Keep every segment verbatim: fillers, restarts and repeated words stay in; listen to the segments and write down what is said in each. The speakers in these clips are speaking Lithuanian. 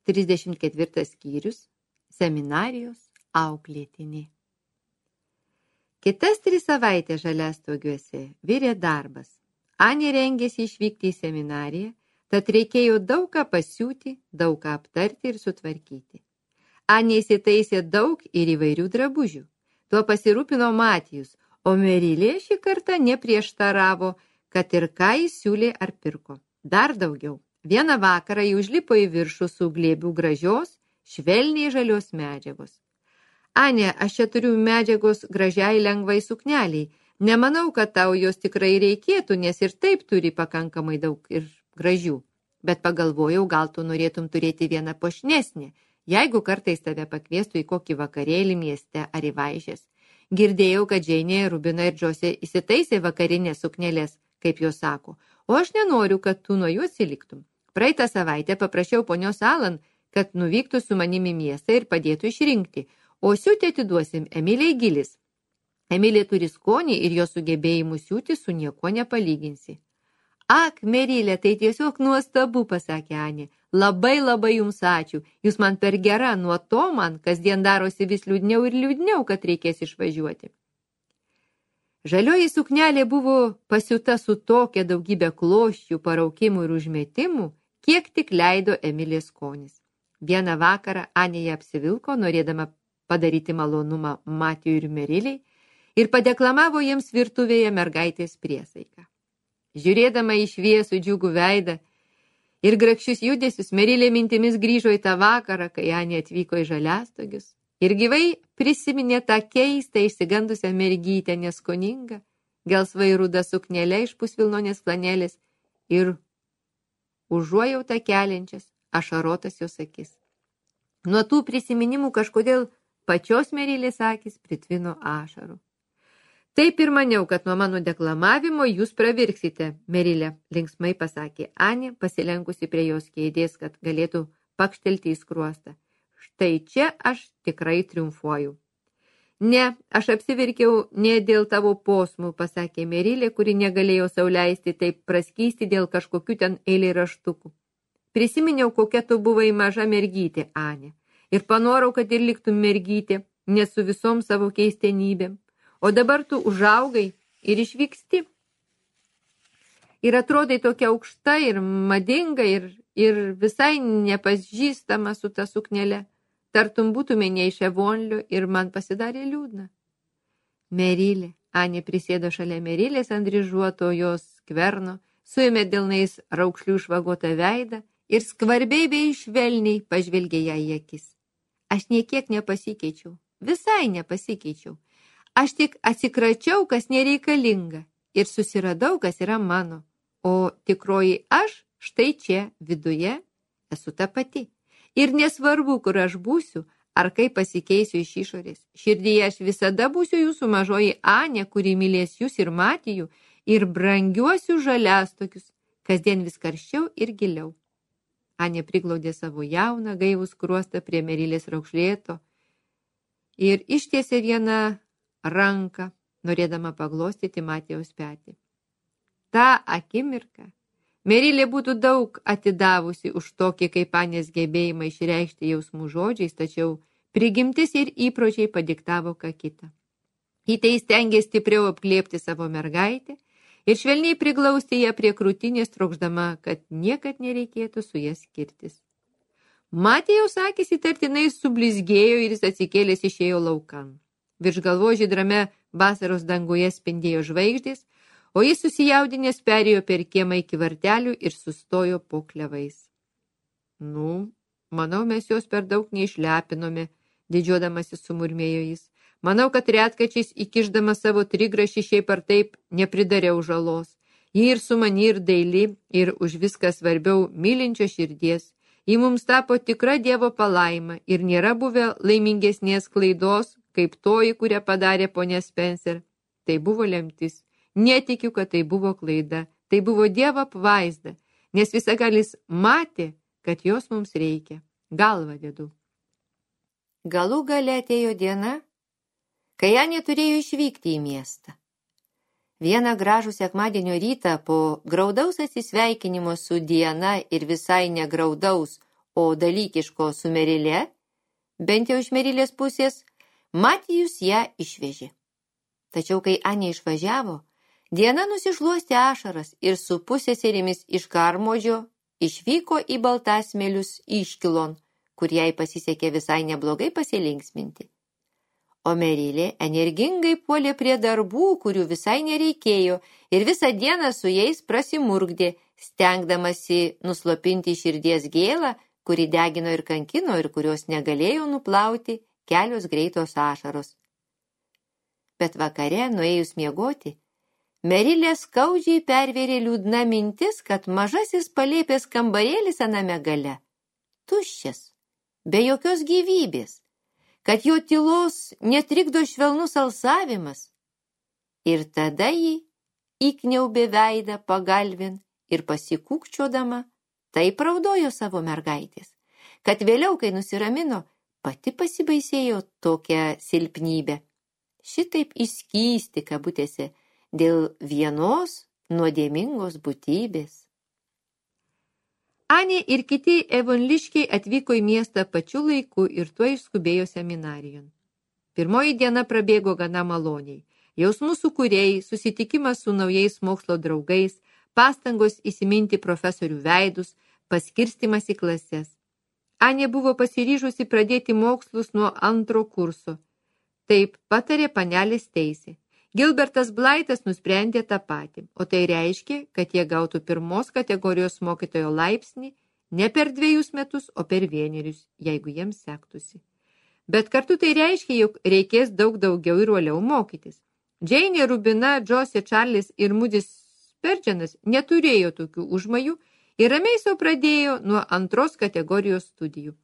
trisdešimt ketvirtas skyrius – Seminarijos auklėtinė. Kitas tris savaitės Žaliastogiuose virė darbas. Anė rengėsi išvykti į seminariją, tad reikėjo daug ką pasiūti, daug ką aptarti ir sutvarkyti. Anė įsitaisė daug ir įvairių drabužių. Tuo pasirūpino Matijus, o Merilė šį kartą neprieštaravo, kad ir ką jis siūlė ar pirko. Dar daugiau. Vieną vakarą jį užlipo į viršų su glėbių gražios, švelniai žalios medžiagos. Anė, aš čia turiu medžiagos gražiai lengvai sukneliai. Nemanau, kad tau jos tikrai reikėtų, nes ir taip turi pakankamai daug ir gražių. Bet pagalvojau, gal tu norėtum turėti vieną puošnesnę, jeigu kartais tave pakviestų į kokį vakarėlį mieste ar į vaišes. Girdėjau, kad Džeinė, Rubina ir Džosė įsitaisė vakarinės suknelės, kaip jos sako, o aš nenoriu, kad tu nuo jų atsiliktum. Praeitą savaitę paprašiau ponios Alan, kad nuvyktų su manimi miestą ir padėtų išrinkti, o siūti atiduosim Emilijai Gilis. Emilija turi skonį ir jo sugebėjimų siūti su niekuo nepalyginsi. Ak, Merilė, tai tiesiog nuostabu, pasakė Anė. Labai labai jums ačiū. Jūs man per gera, nuo to man kasdien darosi vis liūdniau ir liūdniau, kad reikės išvažiuoti. Žalioji suknelė buvo pasiūta su tokia daugybė kloščių, paraukimų ir užmetimų, kiek tik leido Emilijos skonis. Vieną vakarą Anė ją apsivilko, norėdama padaryti malonumą Matijui ir Meriliai, ir padeklamavo jiems virtuvėje mergaitės priesaiką. Žiūrėdama į šviesų džiugų veidą ir grakščius judesius, Merilė mintimis grįžo į tą vakarą, kai Anė atvyko į Žaliastogius, ir gyvai prisiminė tą keistą išsigandusią mergytę neskoningą, gelsvai rudą suknelę iš pusvilnonės flanelės ir užuojautą keliančias ašarotas jos akis. Nuo tų prisiminimų kažkodėl pačios Merilės akys pritvino ašarų. Taip ir maniau, kad nuo mano deklamavimo jūs pravirksite, Merilė, linksmai pasakė Anė, pasilenkusi prie jos kėdės, kad galėtų pakštelti į skruostą. Štai čia aš tikrai triumfuoju. Ne, aš apsiverkiau ne dėl tavo posmų, pasakė Merilė, kuri negalėjo sau leisti taip praskysti dėl kažkokių ten eilėraštukų. Prisiminiau, kokia tu buvai maža mergytė, Anė, ir panorau, kad ir liktum mergytė, nes su visom savo keistenybėm. O dabar tu užaugai ir išvyksti. Ir atrodai tokia aukšta ir madinga ir, ir visai nepažįstama su ta suknele. Tartum būtume ne iš Evonlio ir man pasidarė liūdna. Merilė, Anė prisėdo šalia Merilės ant dryžuoto jos skverno, suėmė delnais raukšlių švagotą veidą ir skvarbiai bei švelniai pažvelgė ją į akis. Aš niekiek nepasikeičiau, visai nepasikeičiau. Aš tik atsikračiau, kas nereikalinga, ir susiradau, kas yra mano. O tikroji aš štai čia, viduje, esu ta pati. Ir nesvarbu, kur aš būsiu, ar kaip pasikeisiu iš išorės. Širdyje aš visada būsiu jūsų mažoji Anė, kuri mylės jūs ir Matijų, ir brangiuosiu Žaliastogius, kasdien vis karščiau ir giliau. Anė priglaudė savo jauną, gaivų skruostą prie Merilės raukšlėto ir ištiesė vieną ranką, norėdama paglostyti Matijaus petį. Ta akimirka Merilė būtų daug atidavusi už tokį kaip Anės gebėjimą išreikšti jausmų žodžiais, tačiau prigimtis ir įpročiai padiktavo ką kitą. Ji tai stengė stipriau apglėbti savo mergaitę ir švelniai priglausti ją prie krūtinės, trokšdama, kad niekad nereikėtų su jas skirtis. Matijaus akys įtartinai sublizgėjo ir jis atsikėlęs išėjo laukan. Virš galvo žydrame vasaros danguje spindėjo žvaigždės, o jis susijaudinęs perėjo per kiemą iki vartelių ir sustojo po klevais. Nu, manau, mes jos per daug neišlepinome, didžiuodamasis sumurmėjo jis. Manau, kad retkačiais įkišdama savo trigrašį šiaip ar taip nepridariau žalos. Ji ir sumani ir daili, ir už viską svarbiau mylinčio širdies. Ji mums tapo tikra Dievo palaima ir nėra buvę laimingesnės klaidos, kaip toji, kurią padarė ponia Spencer. Tai buvo lemtis. Netikiu, kad tai buvo klaida. Tai buvo Dievo apvaizda, nes visagalis matė, kad jos mums reikia. Galvą dedu. Galų gale atėjo diena, kai Anė turėjo išvykti į miestą. Vieną gražų sekmadienio rytą po graudaus atsisveikinimo su diena ir visai negraudaus, o dalykiško su Merile, bent jau iš Merilės pusės, Matijus ją išvežė. Tačiau, kai Anė išvažiavo, Diana nusišluostė ašaras ir su pusėserimis iš Karmodžio išvyko į Baltasmelius iškilon, kur jai pasisekė visai neblogai pasilinksminti. O Merilė energingai puolė prie darbų, kurių visai nereikėjo, ir visą dieną su jais prasimurgdė, stengdamasi nuslopinti širdies gėlą, kuri degino ir kankino ir kurios negalėjo nuplauti kelios greitos ašaros. Bet vakare, nuėjus miegoti, Merilė skaudžiai pervėrė liūdna mintis, kad mažasis palėpės kambarėlis aname gale tuščias, be jokios gyvybės, kad jo tylos netrikdo švelnus alsavimas. Ir tada ji įkniaubė veidą pagalvin ir pasikūkčiodama taip raudojo savo mergaitės, kad vėliau, kai nusiramino, pati pasibaisėjo tokią silpnybę. Šitaip įskysti kabutėse dėl vienos nuodėmingos būtybės. Anė ir kiti evonliškiai atvyko į miestą pačiu laiku ir tuo išskubėjo seminarijon. Pirmoji diena prabėgo gana maloniai. Jausmų sukūrėjai, susitikimas su naujais mokslo draugais, pastangos įsiminti profesorių veidus, paskirstimas į klases. Anė buvo pasiryžusi pradėti mokslus nuo antro kurso. Taip patarė panelės Teisė. Gilbertas Blaitas nusprendė tą patį, o tai reiškia, kad jie gautų pirmos kategorijos mokytojo laipsnį ne per dviejus metus, o per vienerius, jeigu jiems sektųsi. Bet kartu tai reiškia, jog reikės daug daugiau ir uoliau mokytis. Džeinė, Rubina, Džosė, Čarlis ir Mudis Sperdžianas neturėjo tokių užmojų ir ramiai sau pradėjo nuo antros kategorijos studijų.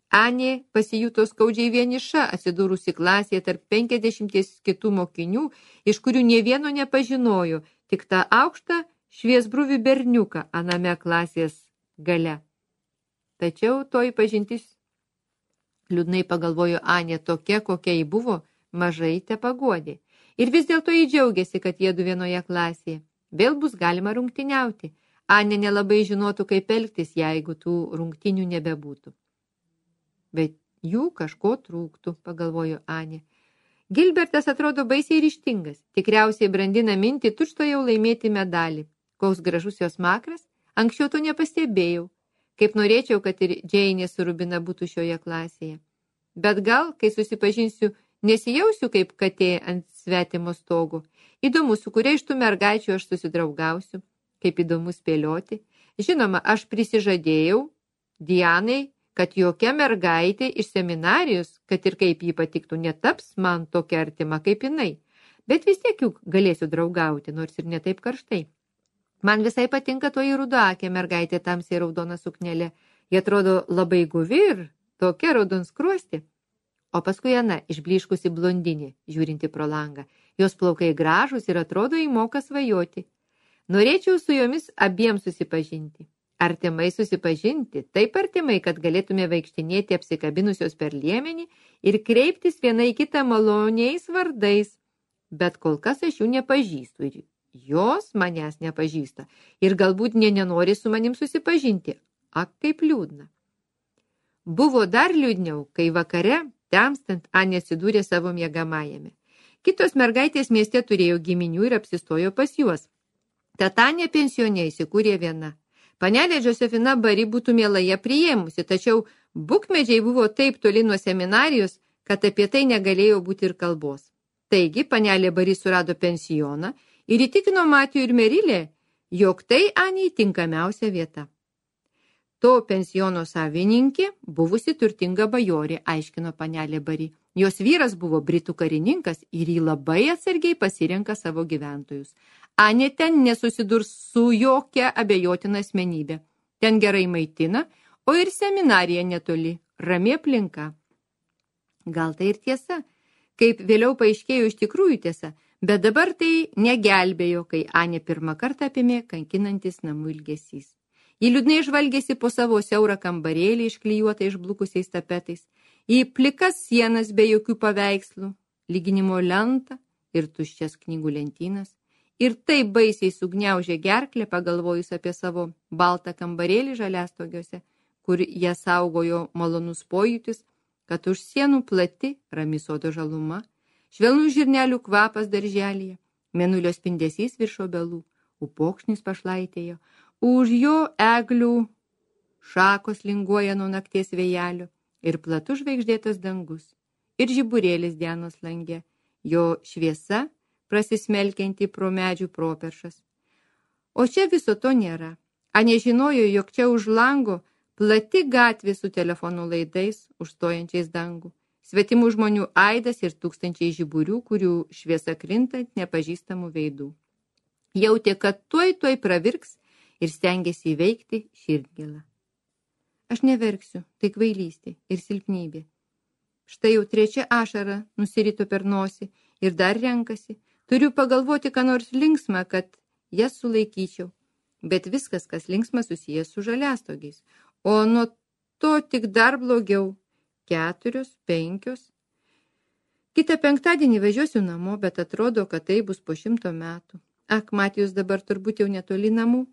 Anė pasijuto skaudžiai vieniša, atsidūrusi klasėje tarp penkiasdešimties kitų mokinių, iš kurių nė vieno nepažinojo, tik tą aukštą šviesbruvį berniuką aname klasės gale. Tačiau toji pažintis, liūdnai pagalvojo Anė, tokia, kokia ji buvo, mažai tepaguodė. Ir vis dėlto ji džiaugiasi, kad jiedu vienoje klasėje. Vėl bus galima rungtyniauti. Anė nelabai žinotų, kaip elgtis, jeigu tų rungtynių nebebūtų. Bet jų kažko trūktų, pagalvojo Anė. Gilbertas atrodo baisiai ryžtingas, tikriausiai brandina mintį tučto jau laimėti medalį. Koks gražus jos makras, anksčiau to nepastebėjau. Kaip norėčiau, kad ir Džeinė su Rubina būtų šioje klasėje. Bet gal, kai susipažinsiu, nesijausiu kaip katė ant svetimo stogo. Įdomu, su kuria iš tų mergaičių aš susidraugausiu, kaip įdomu spėlioti. Žinoma, aš prisižadėjau Dianai, kad jokia mergaitė iš seminarijos, kad ir kaip jį patiktų, netaps man tokia artima kaip jinai. Bet vis tiek juk galėsiu draugauti, nors ir ne taip karštai. Man visai patinka toji rudaakė mergaitė tamsiai raudona suknelė. Jie atrodo labai guvi ir tokia raudonskruosti. O paskui Ana, išblyškusi blondinė, žiūrinti pro langą. Jos plaukai gražūs ir atrodo įmoka svajoti. Norėčiau su jomis abiem susipažinti. Artimai susipažinti, taip artimai, kad galėtume vaikštinėti apsikabinusios per liemenį ir kreiptis viena į kitą maloniais vardais. Bet kol kas aš jų nepažįstu ir jos manęs nepažįsta ir galbūt nė nenori su manim susipažinti. Ak, kaip liūdna. Buvo dar liūdniau, kai vakare, temstant, Anė atsidūrė savo miegamajame. Kitos mergaitės mieste turėjo giminių ir apsistojo pas juos. Tad Anė pensione įsikūrė viena. Panelė Josefina Bari būtų mielai priėmusi, tačiau bukmedžiai buvo taip toli nuo seminarijos, kad apie tai negalėjo būti ir kalbos. Taigi panelė Bari surado pensioną ir įtikino Matijų ir Merilę, jog tai Anei tinkamiausia vieta. To pensiono savininkė buvusi turtinga bajorė, aiškino panelė Bari. Jos vyras buvo britų karininkas ir jį labai atsargiai pasirenka savo gyventojus. Anė ten nesusidurs su jokia abejotina asmenybė. Ten gerai maitina, o ir seminarija netoli, rami aplinka. Gal tai ir tiesa, kaip vėliau paaiškėjo iš tikrųjų tiesa, bet dabar tai negelbėjo, kai Anė pirmą kartą apėmė kankinantis namų ilgesys. Ji liūdnai žvalgėsi po savo siaurą kambarėlį išklijuotą išblukusiais tapetais, į plikas sienas be jokių paveikslų, lyginimo lentą ir tuščias knygų lentynas. Ir taip baisiai sugniaužė gerklę, pagalvojus apie savo baltą kambarėlį žaliastogiuose, kur jie saugojo malonus pojūtis, kad už sienų plati rami sodo žaluma, švelnų žirnelių kvapas darželyje, mėnulio spindesys virš obelų, upokšnis pašlaitėjo, už jo eglių šakos linguoja nuo nakties vėjelio ir platus žvaigždėtas dangus, ir žiburėlis dienos lange, jo šviesa prasismelkianti pro medžių properšas. O čia viso to nėra. A nežinojo, jog čia už lango plati gatvė su telefonų laidais, užstojančiais dangų, svetimų žmonių aidas ir tūkstančiai žiburių, kurių šviesa krinta ant nepažįstamų veidų. Jautė, kad tuoj tuoj pravirks ir stengėsi įveikti širdgėlą. Aš neverksiu, tai kvailystė ir silpnybė. Štai jau trečia ašara nusirito per nosį ir dar renkasi. Turiu pagalvoti, ką nors linksmą, kad jas sulaikyčiau. Bet viskas, kas linksma, susijęs su žaliastogiais. O nuo to tik dar blogiau. Keturios, penkios. Kitą penktadienį važiuosiu namo, bet atrodo, kad tai bus po šimto metų. Ak, Matijus dabar turbūt jau netoli namų.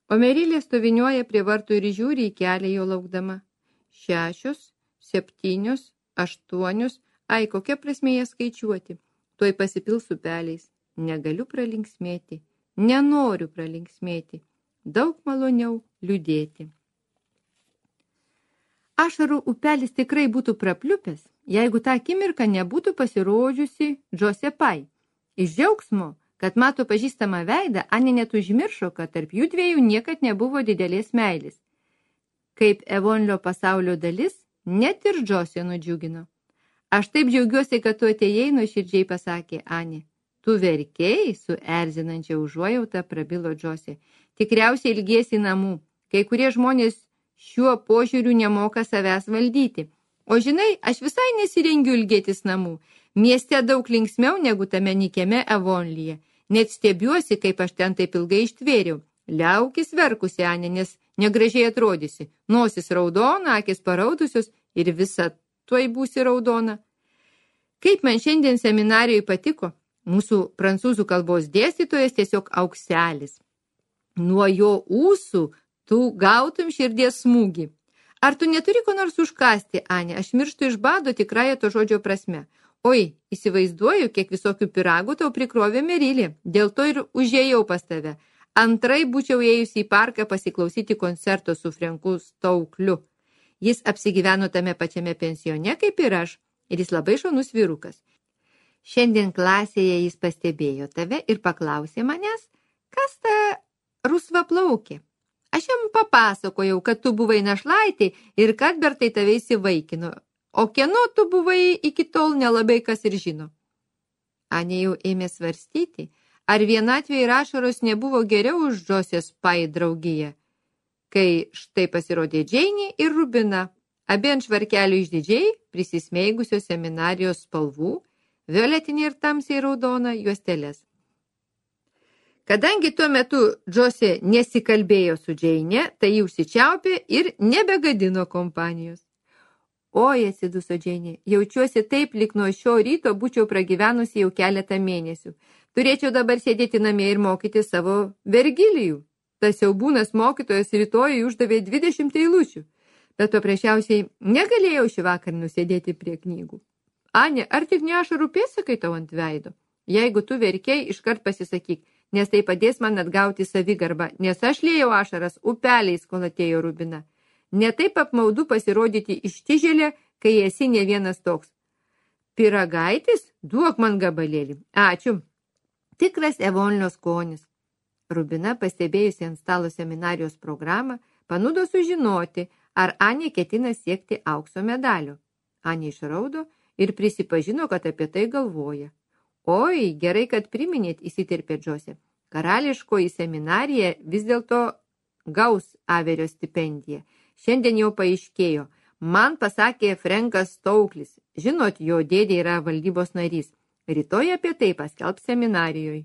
O Merilė stoviniuoja prie vartų ir žiūri į kelią jo laukdama. Šešios, septynios, aštuonios. Ai, kokia prasmė jas skaičiuoti. Tuoj pasipils upeliais. Negaliu pralinksmėti. Nenoriu pralinksmėti. Daug maloniau liūdėti. Ašarų upelis tikrai būtų prapliupęs, jeigu tą akimirką nebūtų pasirodžiusi Džose Pai. Iš džiaugsmo, kad mato pažįstamą veidą, Anė net užmiršo, kad tarp jų dviejų niekad nebuvo didelės meilės. Kaip Evonlio pasaulio dalis, net ir Džose nudžiugino. Aš taip džiaugiuosi, kad tu atėjai, nuoširdžiai pasakė Anė. Tu verkėjai, su erzinančia užuojauta prabilo Džose. Tikriausiai ilgiesi namų. Kai kurie žmonės šiuo požiūriu nemoka savęs valdyti. O žinai, aš visai nesirengiu ilgėtis namų. Mieste daug linksmiau negu tame nykiame Evonlyje. Net stebiuosi, kaip aš ten taip ilgai ištvėriau. Liaukis verkusi, Anė, nes negražiai atrodysi. Nosis raudona, akis paraudusios ir visa tuoj būsi raudona. Kaip man šiandien seminarijoje patiko, mūsų prancūzų kalbos dėstytojas tiesiog aukselis. Nuo jo ūsų tu gautum širdies smūgį. Ar tu neturi ko nors užkasti, Anė? Aš mirštu iš bado tikrąją to žodžio prasme. Oi, įsivaizduoju, kiek visokių piragų tau prikrovė Merilė. Dėl to ir užėjau pas tave. Antrai būčiau ėjusi į parką pasiklausyti koncerto su Frenku Staukliu. Jis apsigyveno tame pačiame pensione kaip ir aš, ir jis labai šaunus vyrukas. Šiandien klasėje jis pastebėjo tave ir paklausė manęs, kas ta rusva plaukė. Aš jam papasakojau, kad tu buvai našlaitė ir kad Bertai tave įsivaikino, o kieno tu buvai iki tol nelabai kas ir žino. Anė jau ėmė svarstyti, ar vienatvė ir ašaros nebuvo geriau už Džosės Pai draugiją, kai štai pasirodė Džeinė ir Rubina, abi ant švarkelių išdidžiai prisismeigusios seminarijos spalvų, violetinė ir tamsiai raudona juostelės. Kadangi tuo metu Džosė nesikalbėjo su Džeinė, tai jį užsičiaupė ir nebegadino kompanijos. Oi, atsiduso Džeinė, jaučiuosi taip, lyg nuo šio ryto būčiau pragyvenusi jau keletą mėnesių. Turėčiau dabar sėdėti namie ir mokyti savo Vergilijų. Tas siaubūnas mokytojas rytoj uždavė dvidešimt eilučių, bet paprasčiausiai negalėjau šį vakar nusėdėti prie knygų. Anė, ar tik ne ašarų pėdsakai tau ant veido? Jeigu tu verkei, iškart pasisakyk, nes tai padės man atgauti savigarbą, nes aš liejau ašaras upeliais, kol atėjo Rubina. Netaip apmaudu pasirodyti ištižėlė, kai esi ne vienas toks. Pyragaitis? Duok man gabalėlį. Ačiū. Tikras Evonlio skonis. Rubina, pastebėjusi ant stalo seminarijos programą, panudo sužinoti, ar Anė ketina siekti aukso medalio. Anė išraudo ir prisipažino, kad apie tai galvoja. Oi, gerai, kad priminėt, įsiterpė Džosė. Karališkoji seminarija vis dėlto gaus Averio stipendiją. Šiandien jau paaiškėjo. Man pasakė Frenkas Stauklis. Žinot, jo dėdė yra valdybos narys. Rytoj apie tai paskelbs seminarijoje.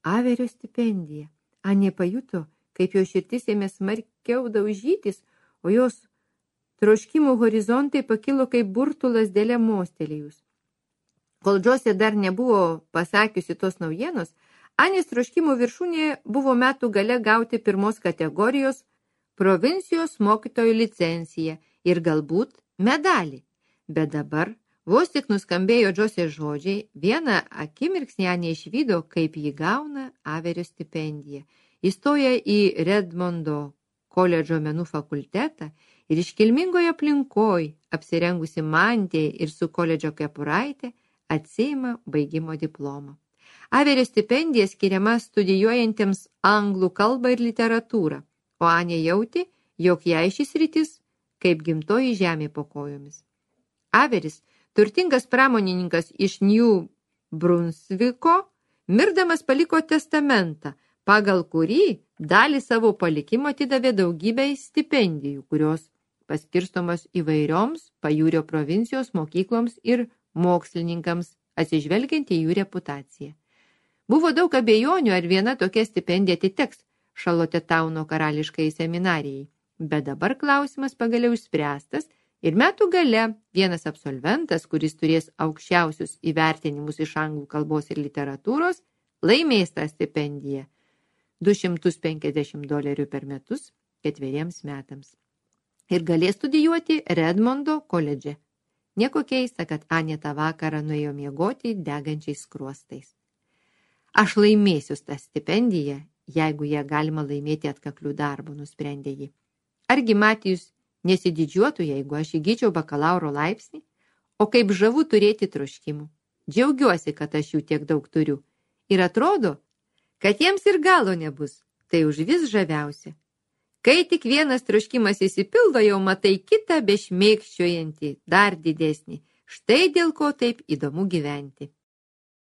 Averio stipendija. Anė pajuto, kaip jo širdis ėmė smarkiau daužytis, o jos troškimų horizontai pakilo kaip burtulas dėlė mostelėjus. Kol Džosė dar nebuvo pasakiusi tos naujienos, Anės troškimų viršūnė buvo metų gale gauti pirmos kategorijos provincijos mokytojų licenciją ir galbūt medalį. Bet dabar, vos tik nuskambėjo Džosės žodžiai, vieną akimirksnį Anė išvydo, kaip ji gauna Averio stipendiją. Įstoja į Redmondo koledžo menų fakultetą ir iškilmingoje aplinkoj, apsirengusi mantija ir su koledžo kepuraitė, atsiima baigimo diplomą. Averio stipendija skiriama studijuojantiems anglų kalbą ir literatūrą, o Anė jautė, jog jai šis rytis kaip gimtoji žemė po kojomis. Averis, turtingas pramonininkas iš New Brunsviko, mirdamas paliko testamentą, pagal kurį dalį savo palikimo atidavė daugybę stipendijų, kurios paskirstomas įvairioms pajūrio provincijos mokykloms ir mokslininkams, atsižvelgiant į jų reputaciją. Buvo daug abejonių, ar viena tokia stipendija atiteks Šarlotetauno karališkai seminarijai, bet dabar klausimas pagaliau išspręstas ir metų gale vienas absolventas, kuris turės aukščiausius įvertinimus iš anglų kalbos ir literatūros, laimės tą stipendiją du šimtus penkiasdešimt dolerių per metus ketveriems metams ir galės studijuoti Redmondo koledže. Nieko keista, kad Anė tą vakarą nuėjo miegoti degančiais skruostais. Aš laimėsiu tą stipendiją, jeigu ją galima laimėti atkaklių darbų, nusprendė ji. Argi Matijus nesididžiuotų, jeigu aš įgyčiau bakalauro laipsnį? O kaip žavu turėti troškimų. Džiaugiuosi, kad aš jų tiek daug turiu. Ir atrodo, kad jiems ir galo nebus. Tai užvis žaviausia. Kai tik vienas troškimas įsipildo, jau matai kitą bešmėkščiojantį, dar didesnį. Štai dėl ko taip įdomu gyventi.